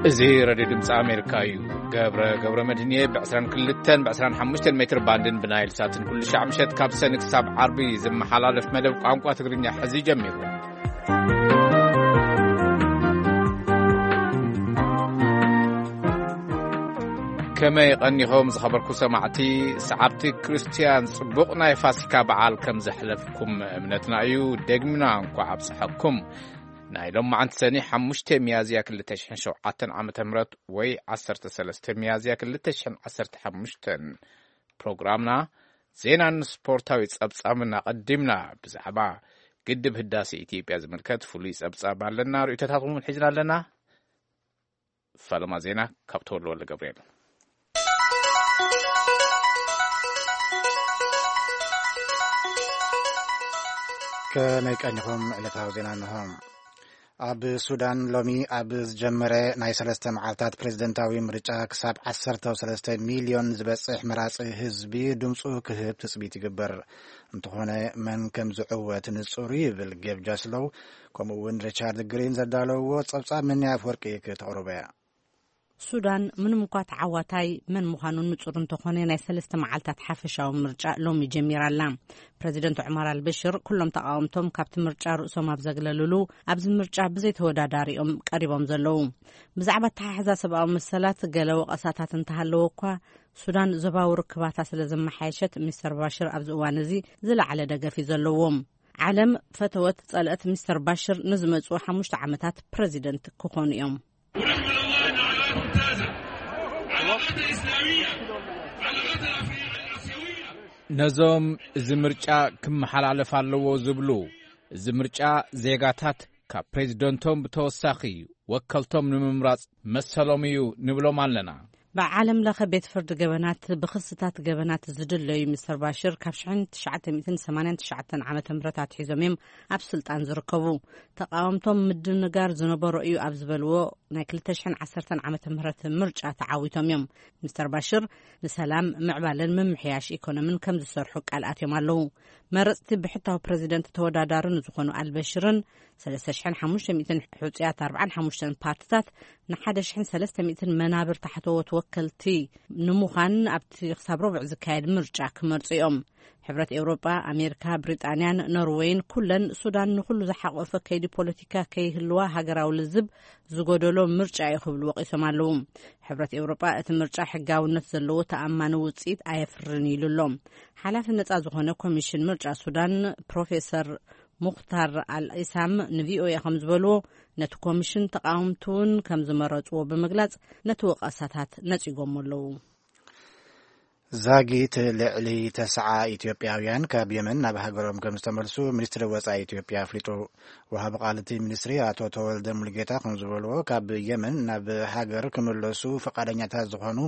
እዚ ሬድዮ ድምፂ ኣሜሪካ እዩ። ገብረ፣ ገብረ መድህን እየ። ብ22 ብ25 ሜትር ባንድን ብናይል ሳትን ኩሉ ሻዕ ምሸት ካብ ሰኒ ክሳብ ዓርቢ ዝመሓላለፍ መደብ ቋንቋ ትግርኛ ሕዚ ጀሚሩ። ከመይ ቀኒኹም ዝኸበርኩ ሰማዕቲ? ሰዓብቲ ክርስትያን ጽቡቕ ናይ ፋሲካ በዓል ከም ዘሕለፍኩም እምነትና እዩ። ደግምና እንኳዕ ኣብጽሐኩም። ናይ ሎማዓንቲ ሰኒ 5 ሚያዝያ 2007 ዓመተ ምህረት ወይ 13 ሚያዝያ 2015 ፕሮግራምና ዜናን ስፖርታዊ ጸብጻብን ኣቐዲምና። ብዛዕባ ግድብ ህዳሴ ኢትዮጵያ ዝምልከት ፍሉይ ጸብጻብ ኣለና። ርእይቶታትኩም እውን ሒዝና ኣለና። ፈለማ ዜና ካብ ተወልደ ወልደ ገብርኤል። ከመይ ቀኒኹም? ዕለታዊ ዜና እንሆ። ኣብ ሱዳን ሎሚ ኣብ ዝጀመረ ናይ ሰለስተ መዓልታት ፕሬዝደንታዊ ምርጫ ክሳብ 13 ሚልዮን ዝበጽሕ መራጺ ህዝቢ ድምፁ ክህብ ትጽቢት ይግበር። እንተኾነ መን ከም ዝዕወት ንጹር ይብል ጌብ ጃስሎው፣ ከምኡ እውን ሪቻርድ ግሪን ዘዳለውዎ ጸብጻብ ምንያ ኣፍወርቂ ክተቕርቦ እያ። ሱዳን ምንም እኳ ተዓዋታይ መን ምዃኑ ንጹር እንተኾነ፣ ናይ ሰለስተ መዓልታት ሓፈሻዊ ምርጫ ሎሚ ጀሚራ ኣላ። ፕረዚደንት ዑመር ኣልበሽር ኩሎም ተቓወምቶም ካብቲ ምርጫ ርእሶም ኣብ ዘግለሉሉ፣ ኣብዚ ምርጫ ብዘይ ተወዳዳሪኦም ቀሪቦም ዘለዉ። ብዛዕባ ኣተሓሕዛ ሰብኣዊ መሰላት ገለ ወቐሳታት እንተሃለወ እኳ፣ ሱዳን ዞባዊ ርክባታ ስለ ዘመሓየሸት፣ ሚስተር ባሽር ኣብዚ እዋን እዚ ዝለዓለ ደገፍ እዩ ዘለዎም። ዓለም ፈተወት ጸልአት ሚስተር ባሽር ንዝመጽኡ ሓሙሽተ ዓመታት ፕረዚደንት ክኾኑ እዮም። ነዞም እዚ ምርጫ ክመሓላለፍ ኣለዎ ዝብሉ፣ እዚ ምርጫ ዜጋታት ካብ ፕሬዝደንቶም ብተወሳኺ ወከልቶም ንምምራጽ መሰሎም እዩ ንብሎም ኣለና። ብዓለም ለኸ ቤት ፍርዲ ገበናት ብኽስታት ገበናት ዝድለዩ ሚስተር ባሽር ካብ 1989 ዓመተ ምህረት ኣትሒዞም እዮም ኣብ ስልጣን ዝርከቡ። ተቃወምቶም ምድንጋር ዝነበሮ እዩ ኣብ ዝበልዎ ናይ 2010 ዓመተ ምህረት ምርጫ ተዓዊቶም እዮም። ሚስተር ባሽር ንሰላም፣ ምዕባለን ምምሕያሽ ኢኮኖምን ከም ዝሰርሑ ቃል ኣትዮም ኣለዉ። መረጽቲ ብሕታዊ ፕረዚደንት ተወዳዳሪ ንዝኾኑ ኣልበሽርን 3,500 ሕጹያት 45 ፓርትታት ን1,300 መናብር ታሕተዎት ወከልቲ ንምዃን ኣብቲ ክሳብ ረቡዕ ዝካየድ ምርጫ ክመርጹ እዮም። ሕብረት ኤውሮጳ፣ ኣሜሪካ፣ ብሪጣንያን ኖርወይን ኩለን ሱዳን ንኹሉ ዝሓቆፈ ከይዲ ፖለቲካ ከይህልዋ ሃገራዊ ልዝብ ዝጎደሎ ምርጫ እዩ ክብሉ ወቒሶም ኣለዉ። ሕብረት ኤውሮጳ እቲ ምርጫ ሕጋውነት ዘለዎ ተኣማኒ ውጽኢት ኣየፍርን ኢሉ ኣሎ። ሓላፊ ነጻ ዝኾነ ኮሚሽን ምርጫ ሱዳን ፕሮፌሰር ሙኽታር ኣልኢሳም ንቪኦኤ ከም ዝበልዎ፣ ነቲ ኮሚሽን ተቃወምቲ እውን ከም ዝመረጽዎ ብምግላጽ ነቲ ወቐሳታት ነጺጎሞ ኣለዉ። ዛጊት ልዕሊ ተስዓ ኢትዮጵያውያን ካብ የመን ናብ ሃገሮም ከም ዝተመልሱ ሚኒስትሪ ወጻኢ ኢትዮጵያ ኣፍሊጡ። ወሃቢ ቃል እቲ ሚኒስትሪ ኣቶ ተወልደ ሙሉጌታ ከም ዝበልዎ፣ ካብ የመን ናብ ሃገር ክምለሱ ፈቃደኛታት ዝኾኑ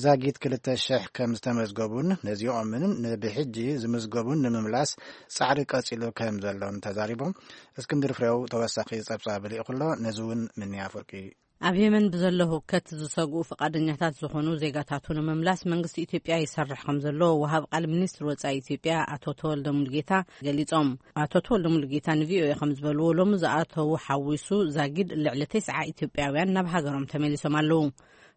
ዛጊት 2,000 ከም ዝተመዝገቡን ነዚኦምን ንብሕጂ ዝምዝገቡን ንምምላስ ጻዕሪ ቀጺሉ ከም ዘሎን ተዛሪቦም። እስክንድር ፍሬው ተወሳኺ ጸብጻብ ልኢኹ ኣሎ። ነዚ እውን ምንያ ኣፍወርቂ። ኣብ የመን ብዘሎ ህውከት ዝሰግኡ ፈቃደኛታት ዝኾኑ ዜጋታቱ ንምምላስ መንግስቲ ኢትዮጵያ ይሰርሕ ከም ዘሎ ወሃብ ቃል ሚኒስትሪ ወጻኢ ኢትዮጵያ ኣቶ ተወልደ ሙሉጌታ ገሊጾም። ኣቶ ተወልደ ሙሉጌታ ንቪኦኤ ከም ዝበልዎ፣ ሎሚ ዝኣተዉ ሓዊሱ ዛጊድ ልዕሊ ተስዓ ኢትዮጵያውያን ናብ ሃገሮም ተመሊሶም ኣለዉ።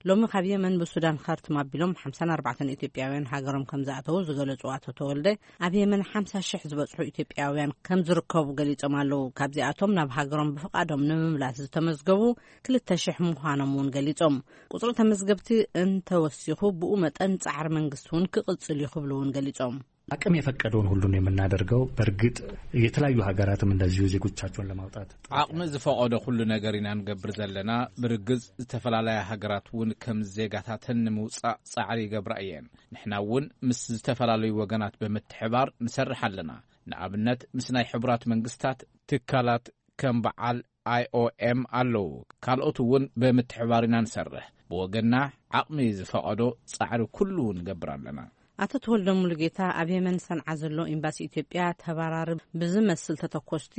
ሎሚ ካብ የመን ብሱዳን ካርቱም ኣቢሎም 54 ኢትዮጵያውያን ሃገሮም ከም ዝኣተዉ ዝገለጹ ኣቶ ተወልደ፣ ኣብ የመን 50,000 ዝበጽሑ ኢትዮጵያውያን ከም ዝርከቡ ገሊጾም ኣለዉ። ካብዚኣቶም ናብ ሃገሮም ብፍቓዶም ንምምላስ ዝተመዝገቡ 2,000 ምዃኖም እውን ገሊጾም። ቁጽሪ ተመዝገብቲ እንተወሲኹ፣ ብኡ መጠን ጻዕሪ መንግስቲ እውን ክቕጽል እዩ ክብሉ እውን ገሊጾም። አቅም የፈቀደውን ሁሉ ነው የምናደርገው። በእርግጥ የተለያዩ ሀገራትም እንደዚሁ ዜጎቻቸውን ለማውጣት ጥረት ዓቕሚ ዝፈቐዶ ኩሉ ነገር ኢና ንገብር ዘለና። ብርግጽ ዝተፈላለያ ሃገራት እውን ከም ዜጋታተን ንምውጻእ ጻዕሪ ይገብራ እየን። ንሕና እውን ምስ ዝተፈላለዩ ወገናት ብምትሕባር ንሰርሕ ኣለና። ንኣብነት ምስ ናይ ሕቡራት መንግስታት ትካላት ከም በዓል ኣይኦኤም ኣለዉ። ካልኦት እውን ብምትሕባር ኢና ንሰርሕ። ብወገንና ዓቕሚ ዝፈቐዶ ጻዕሪ ኩሉ ንገብር ኣለና። ኣቶ ተወልደ ሙሉጌታ ኣብ የመን ሰንዓ ዘሎ ኤምባሲ ኢትዮጵያ ተባራሪ ብዝመስል ተተኮስቲ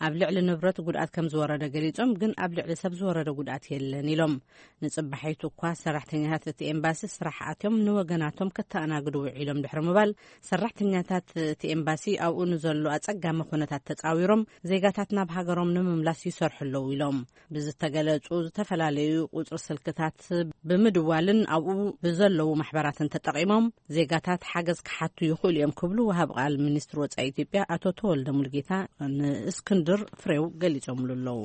ኣብ ልዕሊ ንብረት ጉድኣት ከም ዝወረደ ገሊጾም፣ ግን ኣብ ልዕሊ ሰብ ዝወረደ ጉድኣት የለን ኢሎም። ንጽባሒቱ እኳ ሰራሕተኛታት እቲ ኤምባሲ ስራሕ ኣትዮም ንወገናቶም ከተኣናግዱ ውዒሎም ድሕሪ ምባል፣ ሰራሕተኛታት እቲ ኤምባሲ ኣብኡ ንዘሎ ኣጸጋሚ ኩነታት ተጻዊሮም ዜጋታት ናብ ሃገሮም ንምምላስ ይሰርሑ ኣለዉ ኢሎም። ብዝተገለጹ ዝተፈላለዩ ቁጽሪ ስልክታት ብምድዋልን ኣብኡ ብዘለዉ ማሕበራትን ተጠቒሞም ዜጋታት ሓገዝ ክሓቱ ይኽእሉ እዮም ክብሉ ወሃብ ቃል ሚኒስትሪ ወጻኢ ኢትዮጵያ ኣቶ ተወልደ ሙሉጌታ ንእስክንድር ፍሬው ገሊጾምሉ ኣለዉ።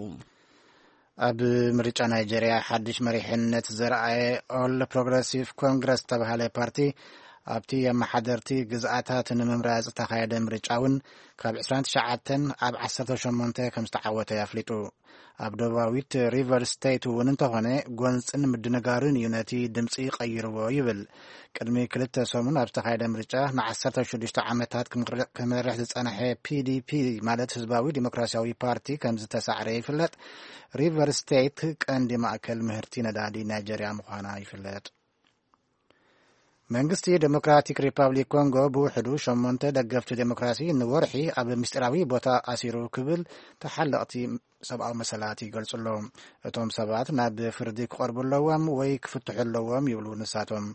ኣብ ምርጫ ናይጀርያ ሓድሽ መሪሕነት ዘርኣየ ኦል ፕሮግረሲቭ ኮንግረስ ዝተባህለ ፓርቲ ኣብቲ ኣመሓደርቲ ግዝኣታት ንምምራጽ ዝተኻየደ ምርጫ እውን ካብ ዕስራን ትሽዓተን ኣብ ዓሰርተ ሸሞንተ ከም ዝተዓወተ ኣፍሊጡ። ኣብ ደቡባዊት ሪቨር ስቴት እውን እንተኾነ ጎንጽን ምድንጋርን እዩ ነቲ ድምጺ ቀይርዎ ይብል። ቅድሚ ክልተ ሰሙን ኣብ ዝተኻየደ ምርጫ ንዓሰርተ ሽዱሽተ ዓመታት ክምር- ክመርሕ ዝጸንሐ ፒ ዲ ፒ ማለት ህዝባዊ ዲሞክራሲያዊ ፓርቲ ከም ዝተሳዕረ ይፍለጥ። ሪቨር ስቴት ቀንዲ ማእከል ምህርቲ ነዳዲ ናይጀርያ ምዃና ይፍለጥ። መንግስቲ ዴሞክራቲክ ሪፓብሊክ ኮንጎ ብውሕዱ ሸሞንተ ደገፍቲ ዴሞክራሲ ንወርሒ ኣብ ምስጢራዊ ቦታ ኣሲሩ ክብል ተሓለቕቲ ሰብኣዊ መሰላት ይገልጹ ኣለዉ። እቶም ሰባት ናብ ፍርዲ ክቐርቡ ኣለዎም ወይ ክፍትሑ ኣለዎም ይብሉ ንሳቶም።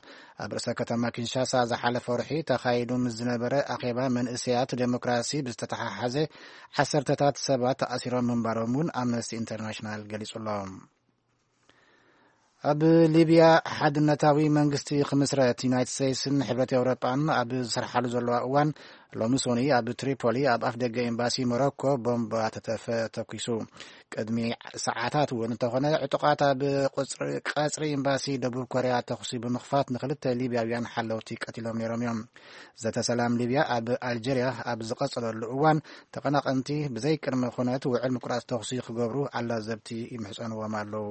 ኣብ ርእሰ ከተማ ኪንሻሳ ዝሓለፈ ወርሒ ተኻይዱ ምስ ዝነበረ ኣኼባ መንእሰያት ዴሞክራሲ ብዝተተሓሓዘ ዓሰርተታት ሰባት ተኣሲሮም ምንባሮም እውን ኣምነስቲ ኢንተርናሽናል ገሊጹ ኣሎ። ኣብ ሊብያ ሓድነታዊ መንግስቲ ክምስረት ዩናይትድ ስቴትስን ሕብረት ኤውሮጳን ኣብ ዝሰርሓሉ ዘለዋ እዋን፣ ሎሚ ሶኒ ኣብ ትሪፖሊ ኣብ ኣፍ ደገ ኤምባሲ ሞሮኮ ቦምባ ተተፈ ተኩሱ። ቅድሚ ሰዓታት እውን እንተኾነ ዕጡቓት ኣብ ቁጽሪ- ቀጽሪ ኤምባሲ ደቡብ ኮርያ ተኹሲ ብምኽፋት ንክልተ ሊብያውያን ሓለውቲ ቀቲሎም ነይሮም እዮም። ዘተ ሰላም ሊብያ ኣብ ኣልጀርያ ኣብ ዝቐጸለሉ እዋን ተቐናቐንቲ ብዘይ ቅድመ ኩነት ውዕል ምቁራጽ ተኹሲ ክገብሩ ኣላዘብቲ ይምሕጸንዎም ኣለዉ።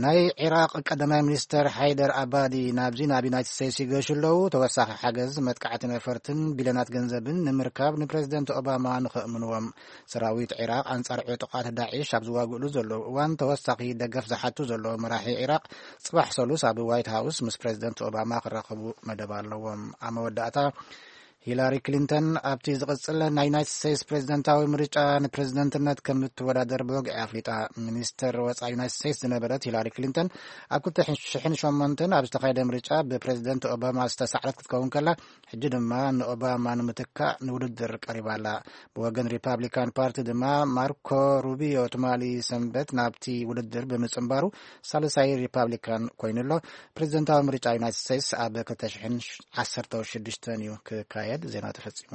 ናይ ዒራቕ ቀዳማይ ሚኒስተር ሓይደር ኣባዲ ናብዚ ናብ ዩናይትድ ስቴትስ ይገሹ ኣለዉ። ተወሳኺ ሓገዝ መጥቃዕቲ ነፈርትን ቢልዮናት ገንዘብን ንምርካብ ንፕሬዚደንት ኦባማ ንኸእምንዎም። ሰራዊት ዒራቕ ኣንጻር ዕጡቓት ዳዒሽ ኣብ ዝዋግእሉ ዘለዉ እዋን ተወሳኺ ደገፍ ዝሓቱ ዘለዉ መራሒ ዒራቕ ጽባሕ ሰሉስ ኣብ ዋይት ሃውስ ምስ ፕሬዚደንት ኦባማ ክራኸቡ መደብ ኣለዎም። ኣብ መወዳእታ ሂላሪ ክሊንተን ኣብቲ ዝቕጽል ናይ ዩናይትድ ስቴትስ ፕሬዚደንታዊ ምርጫ ንፕሬዚደንትነት ከም እትወዳደር ብወግዒ ኣፍሊጣ። ሚኒስተር ወጻኢ ዩናይትድ ስቴትስ ዝነበረት ሂላሪ ክሊንተን ኣብ ክልተ ሽሕን ሸሞንተን ኣብ ዝተኻየደ ምርጫ ብፕሬዚደንት ኦባማ ዝተሳዕረት ክትከውን ከላ፣ ሕጂ ድማ ንኦባማ ንምትካእ ንውድድር ቀሪባ ኣላ። ብወገን ሪፓብሊካን ፓርቲ ድማ ማርኮ ሩቢዮ ትማሊ ሰንበት ናብቲ ውድድር ብምጽንባሩ ሳልሳይ ሪፓብሊካን ኮይኑ ኣሎ። ፕሬዚደንታዊ ምርጫ ዩናይትድ ስቴትስ ኣብ ክልተ ሽሕን ዓሰርተ ሽዱሽተን እዩ ክካየድ። ዜና ተፈጺሙ።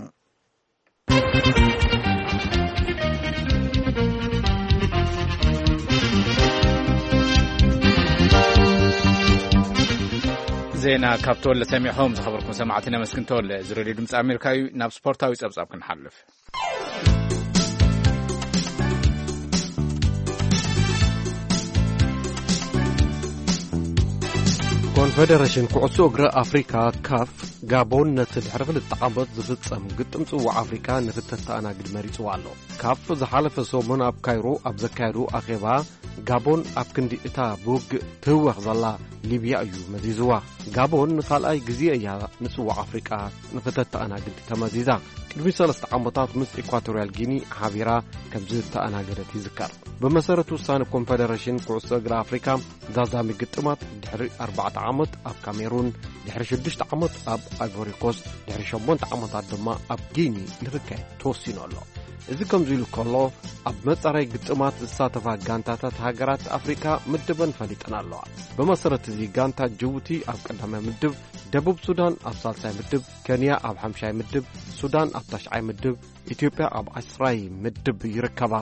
ዜና ካብ ተወለ ሰሚዕኹም ዝኸበርኩም ሰማዕቲ ነመስግን። ተወለ፣ እዚ ሬድዮ ድምፂ ኣሜሪካ እዩ። ናብ ስፖርታዊ ጸብጻብ ክንሓልፍ። ኮንፈደረሽን ኩዕሶ እግሪ ኣፍሪካ፣ ካፍ፣ ጋቦን ነቲ ድሕሪ ክልተ ዓመት ዝፍጸም ግጥም ጽዋዕ ኣፍሪካ ንክተተኣናግድ መሪጽዋ ኣሎ። ካፍ ዝሓለፈ ሰሙን ኣብ ካይሮ ኣብ ዘካየዱ ኣኼባ፣ ጋቦን ኣብ ክንዲ እታ ብውግእ ትህወኽ ዘላ ሊብያ እዩ መዚዝዋ። ጋቦን ንኻልኣይ ግዜ እያ ንጽዋዕ ኣፍሪቃ ንኽተተኣናግድ ተመዚዛ። ቅድሚ ሰለስተ ዓመታት ምስ ኢኳቶርያል ጊኒ ሓቢራ ከም ዝተኣናገደት ይዝከር። ብመሰረት ውሳነ ኮንፈደረሽን ኩዕሶ እግሪ ኣፍሪካ፣ ዛዛሚ ግጥማት ድሕሪ ኣርባዕተ ዓመት ኣብ ካሜሩን፣ ድሕሪ ሽዱሽተ ዓመት ኣብ ኣይቮሪ ኮስት፣ ድሕሪ ሸሞንተ ዓመታት ድማ ኣብ ጊኒ ንኽካየድ ተወሲኑ ኣሎ። እዚ ከምዚ ኢሉ ከሎ፣ ኣብ መጻረይ ግጥማት ዝሳተፋ ጋንታታት ሃገራት ኣፍሪካ ምድበን ፈሊጠን ኣለዋ። ብመሰረት እዚ፣ ጋንታ ጅቡቲ ኣብ ቀዳማይ ምድብ፣ ደቡብ ሱዳን ኣብ ሳልሳይ ምድብ፣ ኬንያ ኣብ ሓምሻይ ምድብ፣ ሱዳን ኣብ ታሽዓይ ምድብ፣ ኢትዮጵያ ኣብ ዓስራይ ምድብ ይርከባ።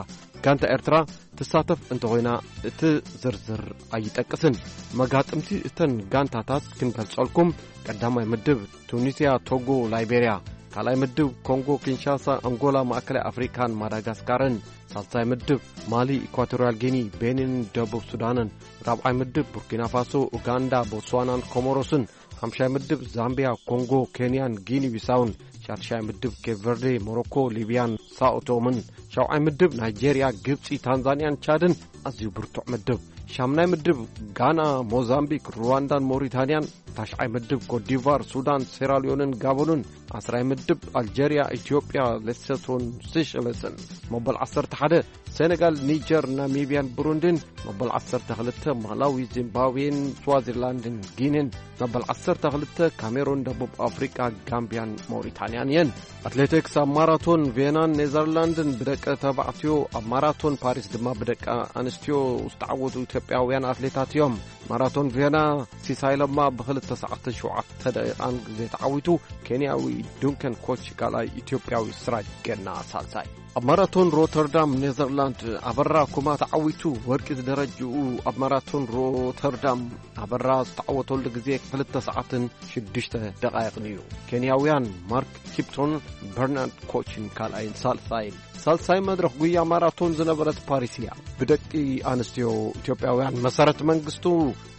ጋንታ ኤርትራ ትሳተፍ እንተኾይና፣ እቲ ዝርዝር ኣይጠቅስን። መጋጥምቲ እተን ጋንታታት ክንገልጸልኩም፣ ቀዳማይ ምድብ ቱኒስያ፣ ቶጎ፣ ላይቤርያ፣ ካልኣይ ምድብ ኮንጎ ኪንሻሳ፣ ኣንጎላ፣ ማእከላይ ኣፍሪካን ማዳጋስካርን፣ ሳልሳይ ምድብ ማሊ፣ ኢኳቶርያል ጊኒ፣ ቤኒን፣ ደቡብ ሱዳንን፣ ራብዓይ ምድብ ቡርኪና ፋሶ፣ ኡጋንዳ፣ ቦትስዋናን ኮሞሮስን፣ ሓምሻይ ምድብ ዛምቢያ፣ ኮንጎ፣ ኬንያን ጊኒ ቢሳውን፣ ሻድሻይ ምድብ ኬፕ ቨርዴ፣ ሞሮኮ፣ ሊብያን ሳኦቶምን፣ ሻውዓይ ምድብ ናይጄርያ፣ ግብፂ፣ ታንዛንያን ቻድን፣ ኣዝዩ ብርቱዕ ምድብ። ሻምናይ ምድብ ጋና፣ ሞዛምቢክ፣ ሩዋንዳን ሞሪታንያን፣ ታሽዓይ ምድብ ኮትዲቫር፣ ሱዳን፣ ሴራልዮንን ጋቦንን፣ ዓስራይ ምድብ ኣልጀርያ፣ ኢትዮጵያ፣ ሌሶቶን ሴሸለስን፣ መበል ዓሰርተ ሓደ ሴኔጋል፣ ኒጀር፣ ናሚብያን ብሩንዲን፣ መበል ዓሰርተ ክልተ ማላዊ፣ ዚምባብዌን ስዋዚላንድን ጊኒን፣ መበል ዓሰርተ ክልተ ካሜሩን፣ ደቡብ ኣፍሪቃ፣ ጋምብያን ሞሪታንያን እየን። ኣትሌቲክስ፣ ኣብ ማራቶን ቬናን ኔዘርላንድን ብደቂ ተባዕትዮ፣ ኣብ ማራቶን ፓሪስ ድማ ብደቂ ኣንስትዮ ዝተዓወቱ ኢትዮጵያውያን ኣትሌታት እዮም። ማራቶን ቬና፣ ሲሳይ ለማ ብክልተ ሰዓትን ሸውዓተ ደቂቓን ግዜ ተዓዊቱ፣ ኬንያዊ ዱንከን ኮች ካልኣይ፣ ኢትዮጵያዊ ስራጅ ገና ሳልሳይ። ኣብ ማራቶን ሮተርዳም ኔዘርላንድ፣ ኣበራ ኩማ ተዓዊቱ፣ ወርቂ ዝደረጅኡ ኣብ ማራቶን ሮተርዳም ኣበራ ዝተዓወተሉ ግዜ ክልተ ሰዓትን ሽዱሽተ ደቓይቕን እዩ። ኬንያውያን ማርክ ኪፕቶን፣ በርናርድ ኮችን ካልኣይን ሳልሳይን። ሳልሳይ መድረኽ ጉያ ማራቶን ዝነበረት ፓሪስ እያ። ብደቂ ኣንስትዮ ኢትዮጵያውያን መሰረት መንግስቱ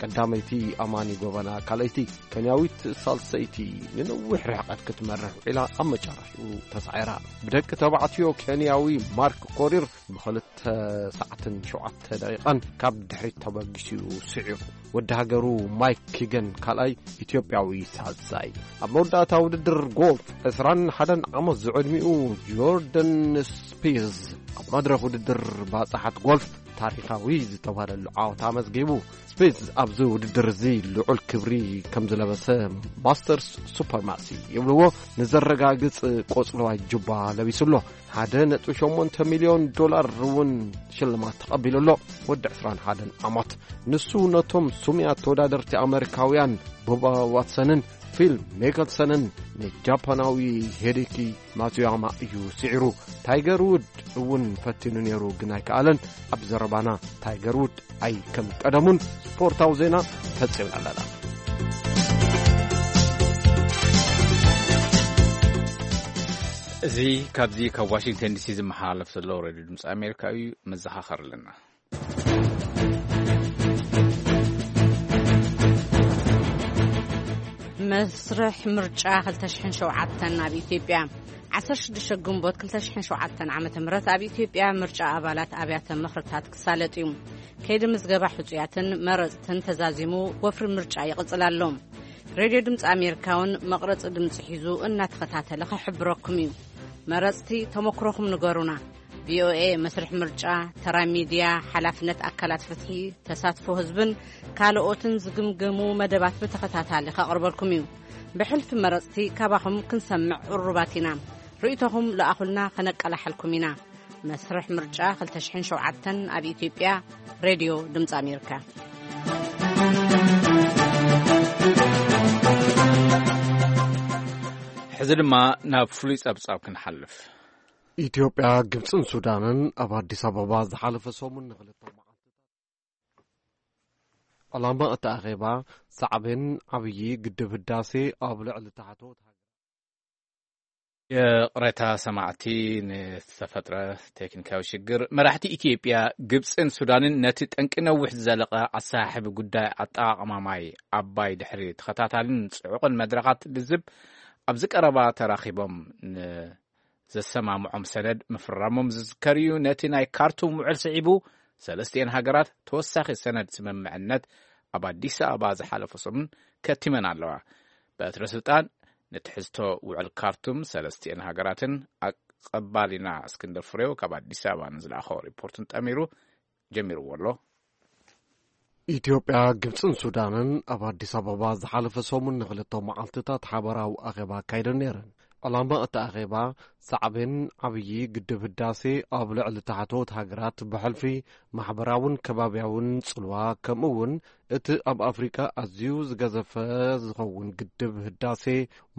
ቀዳመይቲ፣ ኣማኒ ጎበና ካልኣይቲ፣ ኬንያዊት ሳልሰይቲ ንነዊሕ ርሕቀት ክትመርሕ ውዒላ ኣብ መጨረሽኡ ተሳዒራ። ብደቂ ተባዕትዮ ኬንያዊ ማርክ ኮሪር ብክልተ ሰዓትን ሸውዓተ ደቂቓን ካብ ድሕሪት ተበጊሱ እዩ ስዒሩ። ወዲ ሃገሩ ማይክ ኪገን ካልኣይ፣ ኢትዮጵያዊ ሳልሳይ። ኣብ መወዳእታ ውድድር ጎልፍ፣ ዕስራን ሓደን ዓመት ዝዕድሚኡ ጆርደን ስፒዝ ኣብ መድረኽ ውድድር ባጽሓት ጎልፍ ታሪኻዊ ዝተባህለሉ ዓወት ኣመዝጊቡ። ስፒዝ ኣብዚ ውድድር እዚ ልዑል ክብሪ ከም ዝለበሰ ማስተርስ ሱፐርማሲ ይብልዎ ንዘረጋግጽ ቆጽለዋይ ጁባ ለቢሱ ኣሎ። ሓደ ነጥቢ ሸሞንተ ሚልዮን ዶላር እውን ሽልማት ተቐቢሉ ኣሎ። ወዲ ዕስራን ሓደን ዓመት። ንሱ ነቶም ስሙያት ተወዳደርቲ ኣመሪካውያን ቦባ ዋትሰንን ፊል ሚክልሰንን ንጃፓናዊ ሄዴኪ ማትሱያማ እዩ ስዒሩ። ታይገር ውድ እውን ፈቲኑ ነይሩ፣ ግን ኣይከኣለን። ኣብ ዘረባና ታይገር ውድ ኣይ ከም ቀደሙን ስፖርታዊ ዜና ፈጺምና ኣለና። እዚ ካብዚ ካብ ዋሽንግተን ዲሲ ዝመሓላለፍ ዘሎ ሬድዮ ድምፂ ኣሜሪካ እዩ። መዘኻኸር ኣለና። መስርሕ ምርጫ ክልተ ሽሕን ሸውዓተን ኣብ ኢትዮጵያ። ዓሰርተ ሽዱሽተ ግንቦት ክልተ ሽሕን ሸውዓተን ዓመተ ምህረት ኣብ ኢትዮጵያ ምርጫ ኣባላት ኣብያተ ምኽርታት ክሳለጥ እዩ። ከይዲ ምዝገባ ሕጹያትን መረጽትን ተዛዚሙ ወፍሪ ምርጫ ይቕጽል ኣሎ። ሬድዮ ድምፂ ኣሜሪካ እውን መቕረጺ ድምፂ ሒዙ እናተኸታተለ ክሕብረኩም እዩ። መረጽቲ ተመክሮኹም ንገሩና። ቪኦኤ መስርሕ ምርጫ፣ ተራ ሚድያ፣ ሓላፍነት ኣካላት ፍትሒ፣ ተሳትፎ ህዝብን ካልኦትን ዝግምግሙ መደባት ብተኸታታሊ ከቕርበልኩም እዩ። ብሕልፊ መረጽቲ ካባኹም ክንሰምዕ ቅሩባት ኢና። ርእይቶኹም ለኣኹልና፣ ከነቀላሕልኩም ኢና። መስርሕ ምርጫ ክልተ ሽሕን ሸውዓተን ኣብ ኢትዮጵያ፣ ሬድዮ ድምፂ ኣሜሪካ። ሕዚ ድማ ናብ ፍሉይ ጸብጻብ ክንሓልፍ። ኢትዮጵያ፣ ግብጽን ሱዳንን ኣብ ኣዲስ ኣበባ ዝሓለፈ ሰሙን ንኽልተ መዓልቲ። ዕላማ እቲ ኣኼባ፣ ሳዕቤን ዓብዪ ግድብ ህዳሴ ኣብ ልዕሊ ታሕተዎት ሃገራት። ይቕሬታ ሰማዕቲ፣ ንዝተፈጥረ ቴክኒካዊ ሽግር። መራሕቲ ኢትዮጵያ፣ ግብጽን ሱዳንን ነቲ ጠንቂ ነዊሕ ዝዘለቐ ኣሰሓሕቢ ጉዳይ ኣጠቓቕማ ማይ ኣባይ ድሕሪ ተኸታታልን ጽዑቕን መድረኻት ልዝብ ኣብዚ ቀረባ ተራኺቦም ን ዘሰማምዖም ሰነድ ምፍራሞም ዝዝከር እዩ። ነቲ ናይ ካርቱም ውዕል ስዒቡ፣ ሰለስቲኤን ሃገራት ተወሳኺ ሰነድ ስምምዕነት ኣብ ኣዲስ ኣበባ ዝሓለፈ ሰሙን ከቲመን ኣለዋ። በትረ ስልጣን ንትሕዝቶ ውዕል ካርቱም ሰለስቲኤን ሃገራትን ኣቐባሊና እስክንድር ፍሬው ካብ ኣዲስ ኣበባ ንዝለኣኾ ሪፖርትን ጠሚሩ ጀሚርዎ ኣሎ። ኢትዮጵያ፣ ግብጽን ሱዳንን ኣብ ኣዲስ ኣበባ ዝሓለፈ ሰሙን ንኽልተ መዓልትታት ሓበራዊ ኣኼባ ኣካይደን ነይረን። ዕላማ እቲ ኣኼባ፣ ሳዕቤን ዓብዪ ግድብ ህዳሴ ኣብ ልዕሊ ታሕተዎት ሃገራት ብሕልፊ ማሕበራውን ከባብያውን ጽልዋ፣ ከምኡ እውን እቲ ኣብ ኣፍሪቃ ኣዝዩ ዝገዘፈ ዝኸውን ግድብ ህዳሴ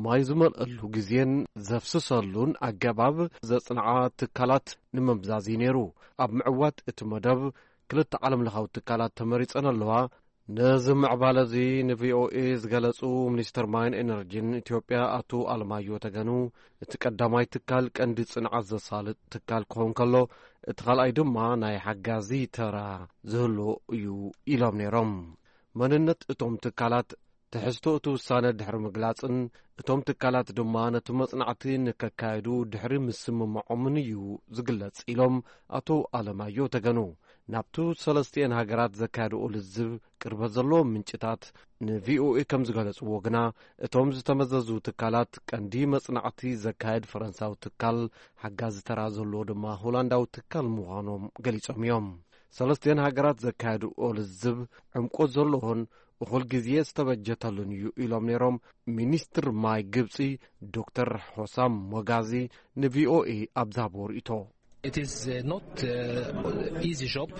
ማይ ዝመልአሉ ግዜን ዘፍስሰሉን ኣገባብ ዘጽንዓ ትካላት ንምምዛዝ እዩ ነይሩ። ኣብ ምዕዋት እቲ መደብ ክልተ ዓለምለኻዊ ትካላት ተመሪጸን ኣለዋ። ነዚ ምዕባለ እዚ ንቪኦኤ ዝገለጹ ሚኒስትር ማይን ኤነርጂን ኢትዮጵያ ኣቶ ኣለማዮ ተገኑ፣ እቲ ቀዳማይ ትካል ቀንዲ ጽንዓት ዘሳልጥ ትካል ክኸውን ከሎ፣ እቲ ካልኣይ ድማ ናይ ሓጋዚ ተራ ዝህሉ እዩ ኢሎም ነይሮም። መንነት እቶም ትካላት ትሕዝቶ እቲ ውሳነ ድሕሪ ምግላጽን፣ እቶም ትካላት ድማ ነቲ መጽናዕቲ ንከካየዱ ድሕሪ ምስምማዖምን እዩ ዝግለጽ ኢሎም ኣቶ ኣለማዮ ተገኑ። ናብቱ ሰለስቲኤን ሃገራት ዘካየድኦ ልዝብ ቅርበት ዘለዎም ምንጭታት ንቪኦኤ ከም ዝገለጽዎ ግና፣ እቶም ዝተመዘዙ ትካላት ቀንዲ መጽናዕቲ ዘካየድ ፈረንሳዊ ትካል፣ ሓጋዚ ተራ ዘለዎ ድማ ሆላንዳዊ ትካል ምዃኖም ገሊጾም እዮም። ሰለስቲኤን ሃገራት ዘካየድኦ ልዝብ ዕምቆት ዘለዎን እኹል ግዜ ዝተበጀተሉን እዩ ኢሎም ነይሮም ሚኒስትር ማይ ግብጺ ዶክተር ሆሳም ሞጋዚ ንቪኦኤ ኣብ ዝሃብዎ ርእይቶ። It is uh, not uh, easy job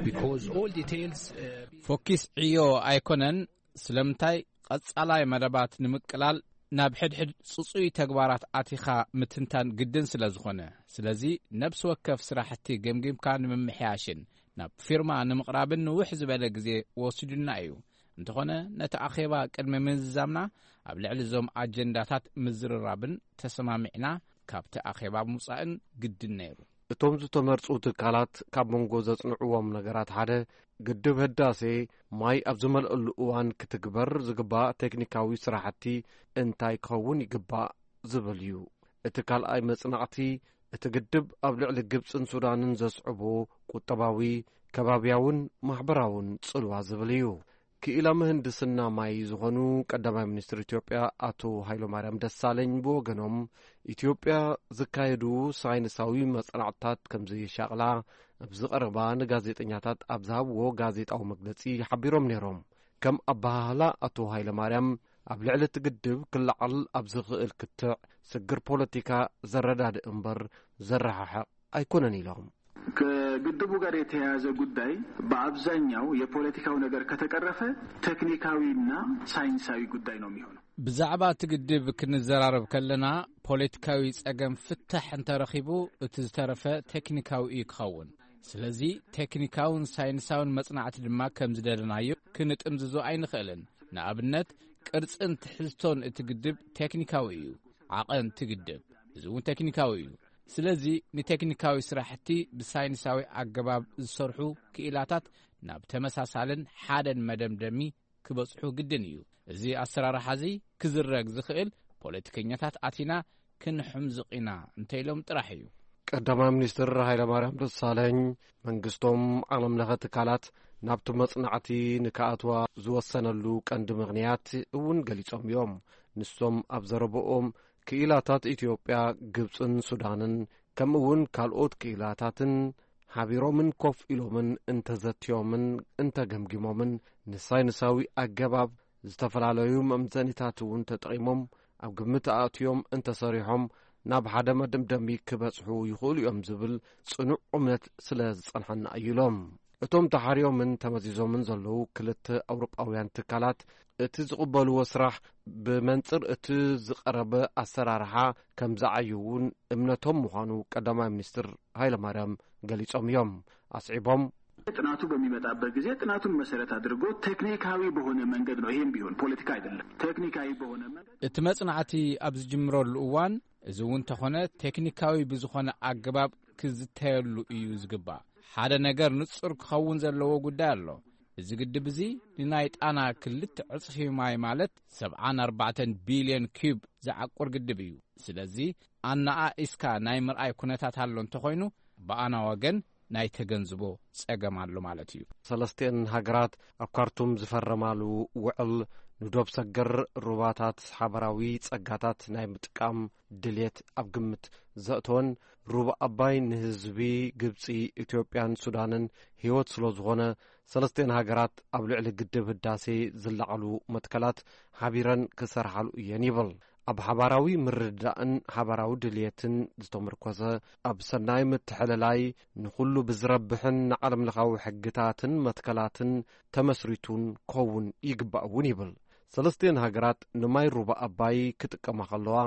because all details. Uh, ፎኪስ ዕዮ ኣይኮነን። ስለምንታይ ቀጻላይ መደባት ንምቅላል ናብ ሕድሕድ ጽጹይ ተግባራት ኣቲኻ ምትንታን ግድን ስለ ዝኾነ፣ ስለዚ ነብሲ ወከፍ ስራሕቲ ገምጊምካ ንምምሕያሽን ናብ ፊርማ ንምቕራብን ንውሕ ዝበለ ግዜ ወሲዱና እዩ። እንተኾነ ነቲ ኣኼባ ቅድሚ ምዝዛምና ኣብ ልዕሊ እዞም ኣጀንዳታት ምዝርራብን ተሰማሚዕና ካብቲ ኣኼባ ምውጻእን ግድን ነይሩ። እቶም ዝተመርጹ ትካላት ካብ መንጎ ዘጽንዕዎም ነገራት ሓደ፣ ግድብ ህዳሴ ማይ ኣብ ዝመልአሉ እዋን ክትግበር ዝግባእ ቴክኒካዊ ስራሕቲ እንታይ ክኸውን ይግባእ ዝብል እዩ። እቲ ካልኣይ መጽናዕቲ፣ እቲ ግድብ ኣብ ልዕሊ ግብጽን ሱዳንን ዘስዕቦ ቁጠባዊ፣ ከባብያውን ማሕበራውን ጽልዋ ዝብል እዩ። ክኢላ ምህንድስና ማይ ዝኾኑ ቀዳማይ ሚኒስትር ኢትዮጵያ ኣቶ ሃይለማርያም ደሳለኝ ብወገኖም፣ ኢትዮጵያ ዝካየዱ ሳይንሳዊ መጽናዕትታት ከም ዘየሻቕላ ኣብዚ ቀረባ ንጋዜጠኛታት ኣብ ዝሃብዎ ጋዜጣዊ መግለጺ ሓቢሮም ነይሮም። ከም ኣበሃህላ ኣቶ ሃይለማርያም፣ ኣብ ልዕሊ እቲ ግድብ ክለዓል ኣብ ዝኽእል ክትዕ ስግር ፖለቲካ ዘረዳድእ እምበር ዘረሓሕቕ ኣይኮነን ኢሎም። ከግድቡ ጋር የተያያዘ ጉዳይ በአብዛኛው የፖለቲካው ነገር ከተቀረፈ ቴክኒካዊና ሳይንሳዊ ጉዳይ ነው የሚሆነው። ብዛዕባ እቲ ግድብ ክንዘራረብ ከለና፣ ፖለቲካዊ ጸገም ፍታሕ እንተረኺቡ፣ እቲ ዝተረፈ ቴክኒካዊ እዩ ክኸውን። ስለዚ ቴክኒካውን ሳይንሳውን መጽናዕቲ ድማ ከም ዝደለናዮ ክንጥምዝዞ ኣይንኽእልን። ንኣብነት፣ ቅርጽን ትሕዝቶን እቲ ግድብ ቴክኒካዊ እዩ። ዓቐን እቲ ግድብ፣ እዚ እውን ቴክኒካዊ እዩ። ስለዚ ንቴክኒካዊ ስራሕቲ ብሳይንሳዊ ኣገባብ ዝሰርሑ ክኢላታት ናብ ተመሳሳልን ሓደን መደምደሚ ክበጽሑ ግድን እዩ። እዚ ኣሰራርሓ እዚ ክዝረግ ዝኽእል ፖለቲከኛታት ኣቲና ክንሕምዝቕ ኢና እንተኢሎም ጥራሕ እዩ። ቀዳማይ ሚኒስትር ሃይለማርያም ደሳለኝ፣ መንግስቶም ዓለም ለኸ ትካላት ናብቲ መጽናዕቲ ንክኣትዋ ዝወሰነሉ ቀንዲ ምኽንያት እውን ገሊጾም እዮም። ንሶም ኣብ ዘረብኦም፣ ክኢላታት ኢትዮጵያ፣ ግብጽን ሱዳንን፣ ከምኡ እውን ካልኦት ክኢላታትን ሓቢሮምን ኮፍ ኢሎምን እንተዘትዮምን እንተገምጊሞምን፣ ንሳይንሳዊ ኣገባብ ዝተፈላለዩ መምዘኒታት እውን ተጠቒሞም ኣብ ግምት ኣእትዮም እንተሰሪሖም፣ ናብ ሓደ መደምደሚ ክበጽሑ ይኽእሉ እዮም ዝብል ጽኑዕ እምነት ስለ ዝጸንሐና እዩ ኢሎም። እቶም ተሓርዮምን ተመዚዞምን ዘለዉ ክልተ ኣውሮጳውያን ትካላት፣ እቲ ዝቕበልዎ ስራሕ ብመንጽር እቲ ዝቐረበ ኣሰራርሓ ከም ዝዓዩ እውን እምነቶም ምዃኑ ቀዳማይ ሚኒስትር ሃይለማርያም ገሊጾም እዮም። ኣስዒቦም፣ ጥናቱ በሚመጣበት ጊዜ ጥናቱን መሰረት አድርጎ ቴክኒካዊ በሆነ መንገድ ነው። ይሄም ቢሆን ፖለቲካ አይደለም። ቴክኒካዊ በሆነ መንገድ እቲ መጽናዕቲ ኣብ ዝጅምረሉ እዋን፣ እዚ እውን ተኾነ ቴክኒካዊ ብዝኾነ ኣገባብ ክዝተየሉ እዩ ዝግባእ። ሓደ ነገር ንጹር ክኸውን ዘለዎ ጉዳይ ኣሎ። እዚ ግድብ እዚ ንናይ ጣና ክልተ ዕጽፊ ማይ፣ ማለት ሰብዓን ኣርባዕተን ቢልዮን ኪዩብ ዝዓቁር ግድብ እዩ። ስለዚ ኣነኣኢስካ ናይ ምርኣይ ኩነታት ኣሎ እንተኾይኑ፣ ብኣና ወገን ናይ ተገንዝቦ ጸገም ኣሎ ማለት እዩ። ሰለስቲኤን ሃገራት ኣብ ካርቱም ዝፈረማሉ ውዕል፣ ንዶብ ሰገር ሩባታት ሓበራዊ ጸጋታት ናይ ምጥቃም ድሌት ኣብ ግምት ዘእተወን፣ ሩባ ኣባይ ንህዝቢ ግብጺ፣ ኢትዮጵያን ሱዳንን ህይወት ስለ ዝኾነ፣ ሰለስቲኤን ሃገራት ኣብ ልዕሊ ግድብ ህዳሴ ዝለዓሉ መትከላት ሓቢረን ክሰርሓሉ እየን ይብል። ኣብ ሓባራዊ ምርድዳእን ሓባራዊ ድልየትን ዝተመርኮሰ፣ ኣብ ሰናይ ምትሕልላይ፣ ንኹሉ ብዝረብሕን ንዓለምለኻዊ ሕግታትን መትከላትን ተመስሪቱን ክኸውን ይግባእ እውን ይብል። ሰለስቲኤን ሃገራት ንማይ ሩባ ኣባይ ክጥቀማ ከለዋ፣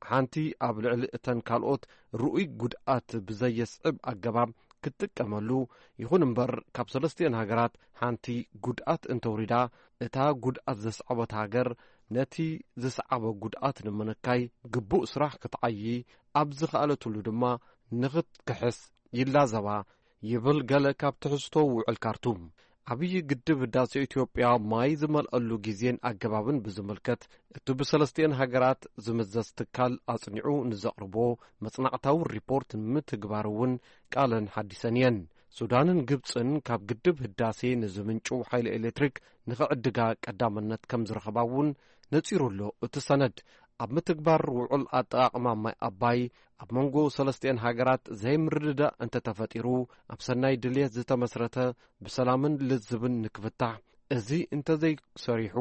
ሓንቲ ኣብ ልዕሊ እተን ካልኦት ርኡይ ጉድኣት ብዘየስዕብ ኣገባብ ክትጥቀመሉ፣ ይኹን እምበር ካብ ሰለስቲኤን ሃገራት ሓንቲ ጉድኣት እንተውሪዳ፣ እታ ጉድኣት ዘስዓበት ሃገር ነቲ ዝሰዓበ ጉድኣት ንምንካይ ግቡእ ስራሕ ክትዓዪ ኣብ ዝኸኣለትሉ ድማ ንኽትክሕስ ይላዘባ ይብል ገለ ካብ ትሕዝቶ ውዕል ካርቱም። ዓብዪ ግድብ ህዳሴ ኢትዮጵያ ማይ ዝመልኣሉ ግዜን ኣገባብን ብዝምልከት፣ እቲ ብሰለስቲኤን ሃገራት ዝምዘዝ ትካል ኣጽኒዑ ንዘቕርቦ መጽናዕታዊ ሪፖርት ንምትግባር እውን ቃለን ሓዲሰን እየን። ሱዳንን ግብጽን ካብ ግድብ ህዳሴ ንዝምንጭው ሓይሊ ኤሌክትሪክ ንኽዕድጋ ቀዳምነት ከም ዝረኸባ እውን ነጺሩ ኣሎ። እቲ ሰነድ ኣብ ምትግባር ውዑል ኣጠቓቕማ ማይ ኣባይ ኣብ መንጎ ሰለስቲኤን ሃገራት ዘይምርድዳእ እንተተፈጢሩ፣ ኣብ ሰናይ ድልየት ዝተመስረተ ብሰላምን ልዝብን ንክፍታሕ፣ እዚ እንተዘይሰሪሑ፣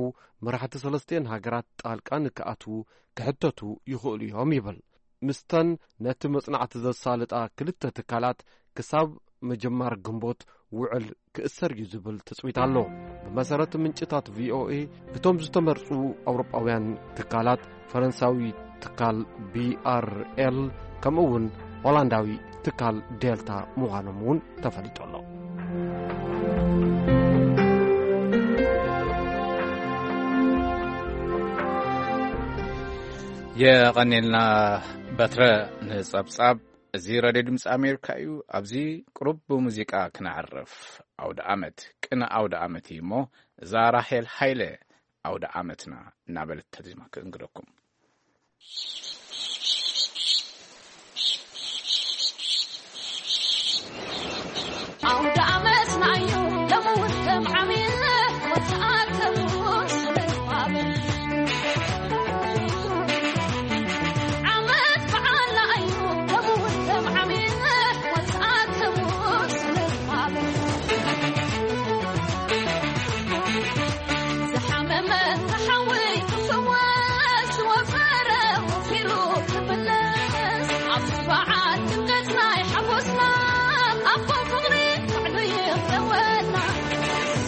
መራሕቲ ሰለስቲኤን ሃገራት ጣልቃ ንክኣትዉ ክሕተቱ ይኽእሉ እዮም ይብል። ምስተን ነቲ መጽናዕቲ ዘሳልጣ ክልተ ትካላት ክሳብ ምጅማር ግንቦት ውዕል ክእሰር እዩ ዝብል ትጽቢት ኣሎ። ብመሰረት ምንጭታት ቪኦኤ፣ እቶም ዝተመርጹ ኣውሮጳውያን ትካላት፣ ፈረንሳዊ ትካል ቢኣርኤል፣ ከምኡ እውን ሆላንዳዊ ትካል ዴልታ ምዃኖም እውን ተፈሊጡ ኣሎ። የቐኔልና በትረ ንጸብጻብ። እዚ ራድዮ ድምፂ ኣሜሪካ እዩ። ኣብዚ ቅሩብ ብሙዚቃ ክነዕርፍ። ኣውደ ኣመት፣ ቅነ ኣውደ ኣመት እዩ እሞ፣ እዛ ራሄል ሃይለ ኣውደ ኣመትና እናበለት ተዚማ ክእንግደኩም። ኣውደ ኣመትና እዩ ለምውት ከም ዓሚል ወተኣከቡ ስልፋብል ዓመት በዓልና እዩ ለምውት ከም ዓሚል ወተኣከቡ ስልፋብል ዝሓመመ ተሓዊ ክፍወስ ዝወፈረ ወፊሩ ክምለስ ኣብዚ በዓል ድምቀት ናይ ሓጎስና ኣቦ ፍቕሪ ባዕሉ ይኽለወና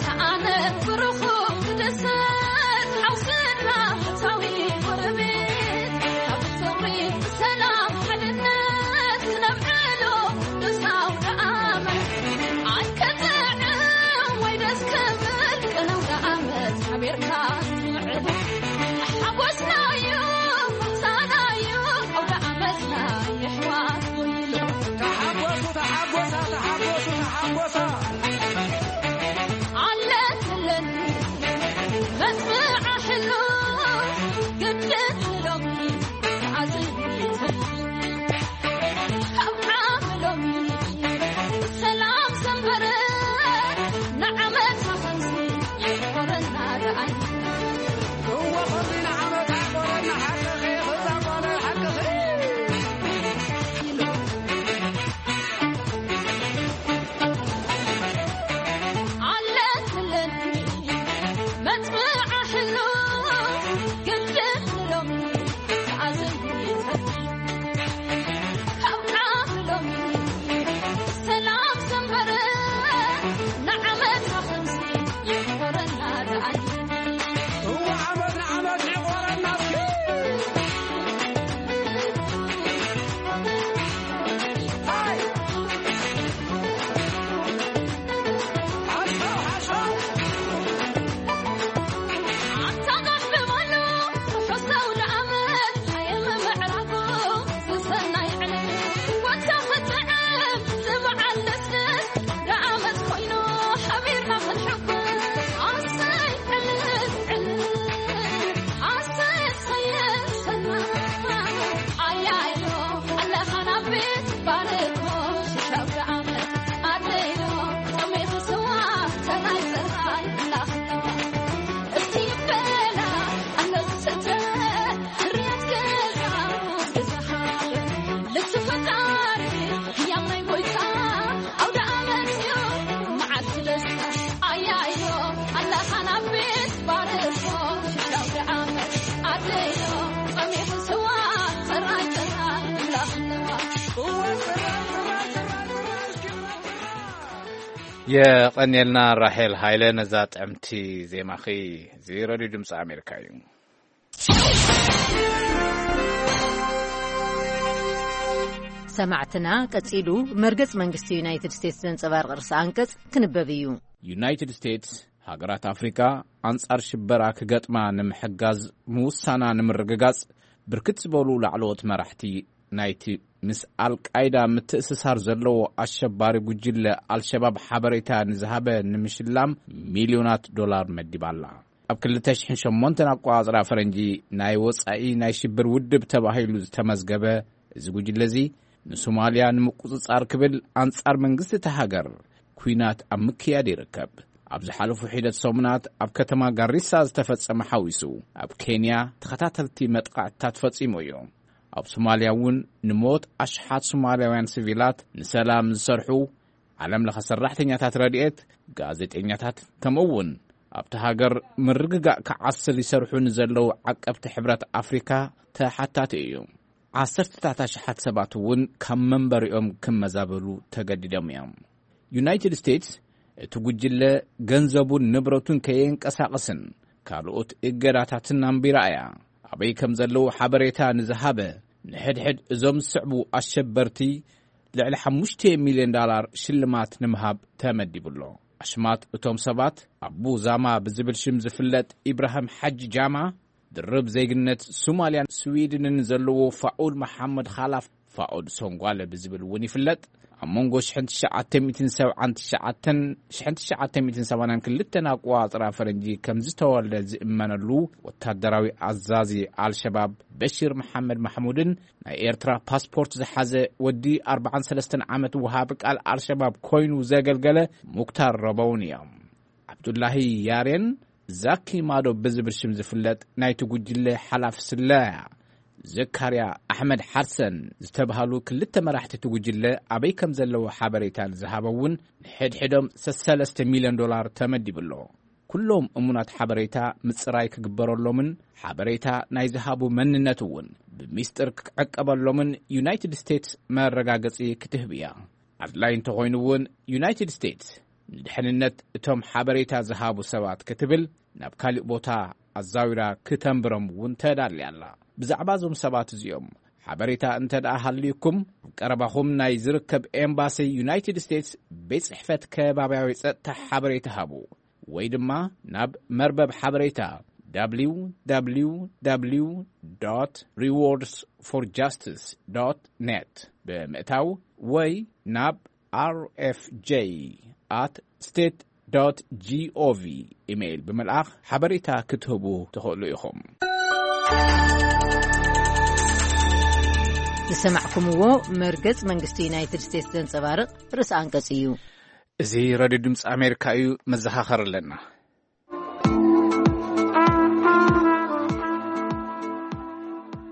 ሰኣነ ብሩኹ ክድሰት ሓውስና ፍታዊ ጎረቤት ካብ ፍቕሪ ብሰላም ሓድነት ክነብዕሎ ቅዱስ ኣውደ ኣመት ኣይከጥዕም ወይ ደስ ክብል ቅነ ኣውደ ኣመት ሓቢርካ ትምዕብል ሓጎስና እዩ ፈውሳና እዩ ኣውደ ኣመትና የሕዋት ወይሎ ተሓጎሱ ተሓጎሳ ተሓጎሱ ተሓጎሳ ኣለትለኒ መጽብዓ ሕሉ ግድን ሎሚ ተዓዚቡ የቐንየልና ራሄል ሃይለ ነዛ ጥዕምቲ ዜማኺ። እዚ ረድዮ ድምፂ ኣሜሪካ እዩ። ሰማዕትና፣ ቀጺሉ መርገጽ መንግስቲ ዩናይትድ ስቴትስ ዘንጸባርቕ ርእሰ ኣንቀጽ ክንበብ እዩ። ዩናይትድ ስቴትስ፣ ሃገራት ኣፍሪካ ኣንጻር ሽበራ ክገጥማ ንምሕጋዝ ምውሳና ንምርግጋጽ፣ ብርክት ዝበሉ ላዕለዎት መራሕቲ ናይቲ ምስ ኣልቃይዳ ምትእስሳር ዘለዎ ኣሸባሪ ጉጅለ ኣልሸባብ ሓበሬታ ንዝሃበ ንምሽላም ሚልዮናት ዶላር መዲባላ። ኣብ ክልተ ሽሕን ሸሞንተን ኣቆጻጽራ ፈረንጂ፣ ናይ ወጻኢ ናይ ሽብር ውድብ ተባሂሉ ዝተመዝገበ እዚ ጉጅለ እዚ፣ ንሶማልያ ንምቁጽጻር ክብል ኣንጻር መንግስቲ እታ ሃገር ኲናት ኣብ ምክያድ ይርከብ። ኣብ ዝሓለፉ ሒደት ሰሙናት ኣብ ከተማ ጋሪሳ ዝተፈጸመ ሓዊሱ፣ ኣብ ኬንያ ተኸታተልቲ መጥቃዕትታት ፈጺሙ እዩ። ኣብ ሶማልያ እውን ንሞት ኣሽሓት ሶማልያውያን ሲቪላት፣ ንሰላም ዝሰርሑ ዓለም ለኸ ሰራሕተኛታት ረድኤት፣ ጋዜጠኛታት፣ ከምኡ እውን ኣብቲ ሃገር ምርግጋእ ክዓስል ይሰርሑ ንዘለዉ ዓቀብቲ ሕብረት ኣፍሪካ ተሓታቲ እዩ። ዓሰርተታት ኣሽሓት ሰባት እውን ካብ መንበሪኦም ክመዛበሉ ተገዲዶም እዮም። ዩናይትድ ስቴትስ እቲ ጉጅለ ገንዘቡን ንብረቱን ከየንቀሳቕስን ካልኦት እገዳታትን ኣንቢራ እያ። ኣበይ ከም ዘለዉ ሓበሬታ ንዝሃበ ንሕድሕድ እዞም ዝስዕቡ ኣሸበርቲ ልዕሊ ሓሙሽተ ሚልዮን ዳላር ሽልማት ንምሃብ ተመዲቡ ኣሎ። ኣሽማት እቶም ሰባት ኣቡ ዛማ ብዝብል ሽም ዝፍለጥ ኢብራሂም ሓጂ ጃማ፣ ድርብ ዜግነት ሶማልያን ስዊድንን ዘለዎ ፋኡድ መሓመድ ኻላፍ ፋኡድ ሶንጓለ ብዝብል እውን ይፍለጥ። ኣብ መንጎ ሽሕን ትሽዓተ ሚእትን ሰብዓን ትሽዓተን፣ ሽሕን ትሽዓተ ሚእትን ሰማንያን ክልተን ኣቆጻጽራ ፈረንጂ ከም ዝተወልደ ዝእመነሉ ወታደራዊ ኣዛዚ ኣልሸባብ በሺር መሓመድ ማሕሙድን ናይ ኤርትራ ፓስፖርት ዝሓዘ ወዲ ኣርባዓን ሰለስተን ዓመት ወሃቢ ቃል ኣልሸባብ ኮይኑ ዘገልገለ ሙክታር ረበውን እዮም። ዓብዱላሂ ያሬን ዛኪ ማዶ ብዝብል ሽም ዝፍለጥ ናይቲ ጉጅለ ሓላፊ ስለያ ዘካርያ ኣሕመድ ሓርሰን ዝተባህሉ ክልተ መራሕቲ እቲ ጉጅለ ኣበይ ከም ዘለዉ ሓበሬታ ንዝሃበ እውን ንሕድሕዶም ሰለስተ ሚልዮን ዶላር ተመዲቡ ኣሎ። ኩሎም እሙናት ሓበሬታ ምጽራይ ክግበረሎምን ሓበሬታ ናይ ዝሃቡ መንነት እውን ብሚስጥር ክዕቀበሎምን ዩናይትድ ስቴትስ መረጋገጺ ክትህብ እያ። ኣድላይ እንተኾይኑ እውን ዩናይትድ ስቴትስ ንድሕንነት እቶም ሓበሬታ ዝሃቡ ሰባት ክትብል ናብ ካሊእ ቦታ ኣዛዊራ ክተንብሮም እውን ተዳልያ ኣላ። ብዛዕባ እዞም ሰባት እዚኦም ሓበሬታ እንተ ደኣ ሃልዩኩም፣ ኣብ ቀረባኹም ናይ ዝርከብ ኤምባሲ ዩናይትድ ስቴትስ ቤት ጽሕፈት ከባብያዊ ጸጥታ ሓበሬታ ሃቡ፣ ወይ ድማ ናብ መርበብ ሓበሬታ www rewards for justice net ብምእታው ወይ ናብ rfj at state gov ኢሜይል ብምልኣኽ ሓበሬታ ክትህቡ ትኽእሉ ኢኹም። ዝሰማዕኩምዎ መርገጽ መንግስቲ ዩናይትድ ስቴትስ ዘንጸባርቕ ርእሰ ኣንቀጽ እዩ። እዚ ሬድዮ ድምፂ ኣሜሪካ እዩ። መዘኻኸር ኣለና።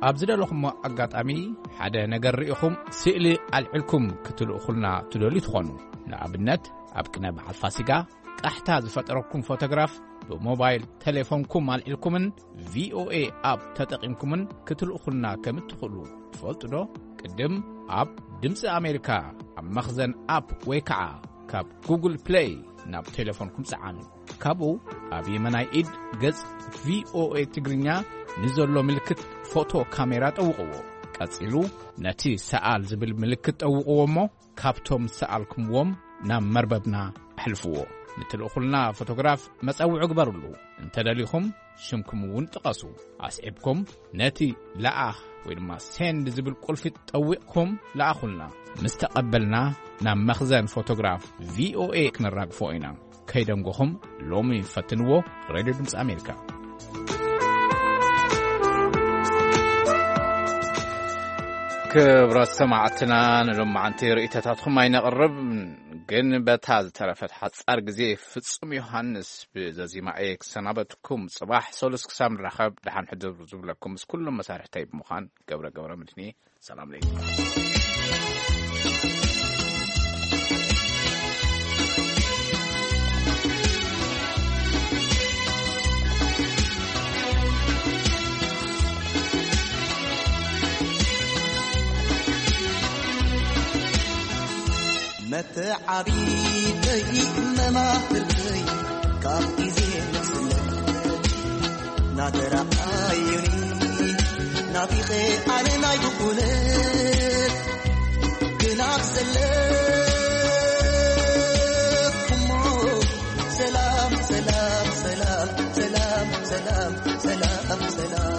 ኣብ ዝደለኹሞ ኣጋጣሚ ሓደ ነገር ርኢኹም ስእሊ ኣልዕልኩም ክትልእኹልና ትደልዩ ትኾኑ። ንኣብነት፣ ኣብ ቅነ በዓል ፋሲጋ ቃሕታ ዝፈጠረኩም ፎቶግራፍ ብሞባይል ቴሌፎንኩም ኣልዒልኩምን ቪኦኤ ኣፕ ተጠቒምኩምን ክትልእኹልና ከም እትኽእሉ ትፈልጡ ዶ? ቅድም ኣብ ድምፂ ኣሜሪካ ኣብ መኽዘን ኣፕ ወይ ከዓ ካብ ጉግል ፕሌይ ናብ ቴሌፎንኩም ጸዓኑ። ካብኡ ኣብ የመናይ ኢድ ገጽ ቪኦኤ ትግርኛ ንዘሎ ምልክት ፎቶ ካሜራ ጠውቕዎ። ቀጺሉ ነቲ ሰኣል ዝብል ምልክት ጠውቕዎ እሞ ካብቶም ዝሰኣልኩምዎም ናብ መርበብና ኣሕልፍዎ። ንትልእኹልና ፎቶግራፍ መጸውዒ ግበሩሉ። እንተደሊኹም ሽምኩም እውን ጥቐሱ። ኣስዒብኩም ነቲ ለኣኽ ወይ ድማ ሴንድ ዝብል ቁልፊ ጠዊቕኩም ለኣኹልና። ምስ ተቐበልና ናብ መኽዘን ፎቶግራፍ ቪኦኤ ክነራግፎ ኢና። ከይደንጎኹም ሎሚ ፈትንዎ። ሬድዮ ድምፂ ኣሜሪካ። ክብራት ሰማዕትና፣ ንሎማዓንቲ ርእይቶታትኩም ኣይነቕርብ፣ ግን በታ ዝተረፈት ሓጻር ግዜ ፍጹም ዮሃንስ ብዘዚማ እየ ክሰናበትኩም። ጽባሕ ሰሉስ ክሳብ ንራኸብ ደሓን ሕድር ዝብለኩም ምስ ኩሎም መሳርሕተይ ብምዃን ገብረ ገብረ ምድኒ። ሰላም ለይኩም። መተዓቢተይ መማህርተይ ካብ ግዜ ንግስነት ናተራኣዩኒ ናፊቐ ኣነ ናይ ድኹነት ግናብ ዘለኩሞ ሰላም ሰላም ሰላም ሰላም ሰላም ሰላም ሰላም።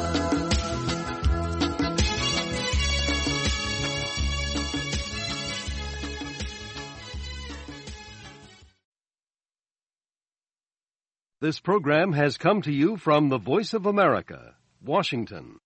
This program has come to you from the Voice of America, Washington.